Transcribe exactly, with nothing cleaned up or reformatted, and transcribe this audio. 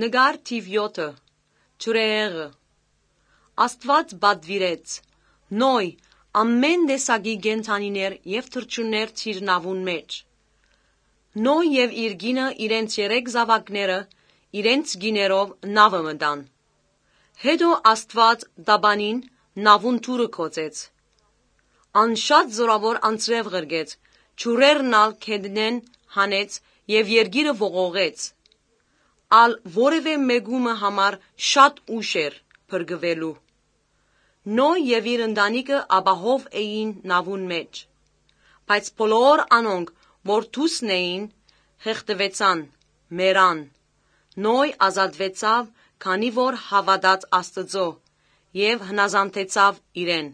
Նկար թիւ յոթը։ Ջրհեղեղը։ Աստուած պատուիրեց. «Նոյ, ամէն տեսակի կենդանիներ եւ թռչուններ դիր նաւուն մէջ»։ Նոյ եւ իր կինը իրենց երեք զաւակները իրենց կիներով նաւը մտան։ Հետո Աստուած տապանին նաւուն դուռը գոցեց։ Ան շատ զօրաւոր անձրեւ ղրկեց, ջուրերն ալ գետնէն հանեց եւ երկիրը ողողեց։ Ալ որեւէ մէկու մը համար շատ ուշ էր փրկուելու։ Նոյ եւ իր ընտանիքը ապահով էին նաւուն մէջ։ Բայց բոլոր անոնք, որ դուրսն էին, խեղդուեցան, մեռան։ Նոյ ազատուեցաւ, քանի որ հաւատաց Աստուծոյ եւ հնազանդեցաւ իրեն։